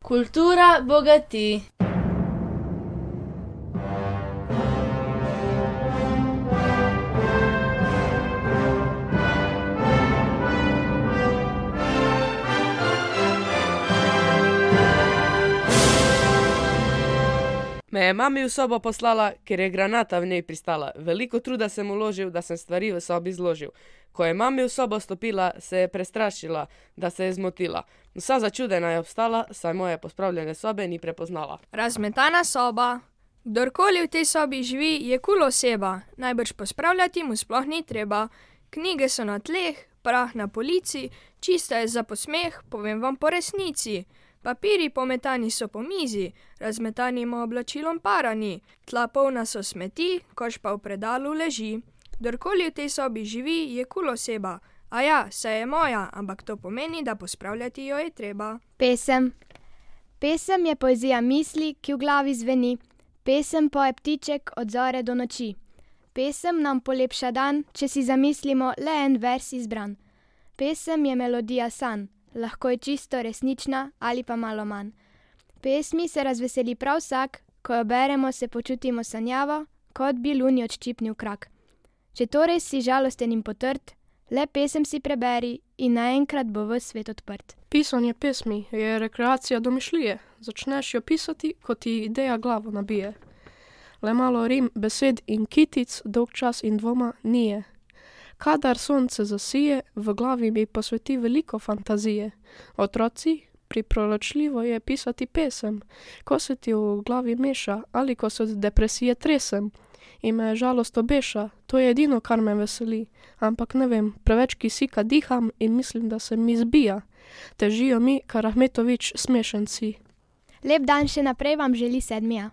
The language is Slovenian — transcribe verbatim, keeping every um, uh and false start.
Kultura bogati. Me je mami v sobo poslala, ker je granata v njej pristala. Veliko truda sem vložil, da sem stvari v sobi zložil. Ko je mami v sobo stopila, se je prestrašila, da se je zmotila. Vsa začudena je obstala, saj moje pospravljene sobe ni prepoznala. Razmetana soba. Kdorkoli v tej sobi živi, je kul oseba. Najbrž pospravljati mu sploh ni treba. Knjige so na tleh, prah na polici, čista je za posmeh, povem vam po resnici. Papirji pometani so po mizi, razmetanim oblačilom para ni. Tla polna so smeti, koš pa v predalu leži. Kdorkoli v tej sobi živi, je kul oseba. A ja, saj je moja, ampak to pomeni, da pospravljati jo je treba. Pesem. Pesem je poezija misli, ki v glavi zveni. Pesem poje ptiček od zore do noči. Pesem nam polepša dan, če si zamislimo le en vers izbran. Pesem je melodija sanj, lahko je čisto resnična ali pa malo manj. Pesmi se razveseli prav vsak, ko jo beremo, se počutimo sanjavo, kot bi luni odščipnil krak. Če torej si žalosten in potrt, le pesem si preberi in naenkrat bo ves svet odprt. Pisanje pesmi je rekreacija domišljije. Začneš jo pisati, ko ti ideja glavo nabije. Le malo rim, besed in kitic, dolg čas in dvoma nije. Kadar sonce zasije, v glavi mi posveti veliko fantazije. Otroci, priporočljivo je pisati pesem, ko se ti v glavi meša ali ko se od depresije tresem. In me žalost obeša, to je edino, kar me veseli. Ampak ne vem, preveč kisika diham in mislim, da se mi zbija. Težijo mi, kar Ahmetović smešen si. Lep dan še naprej vam želi Sedmija.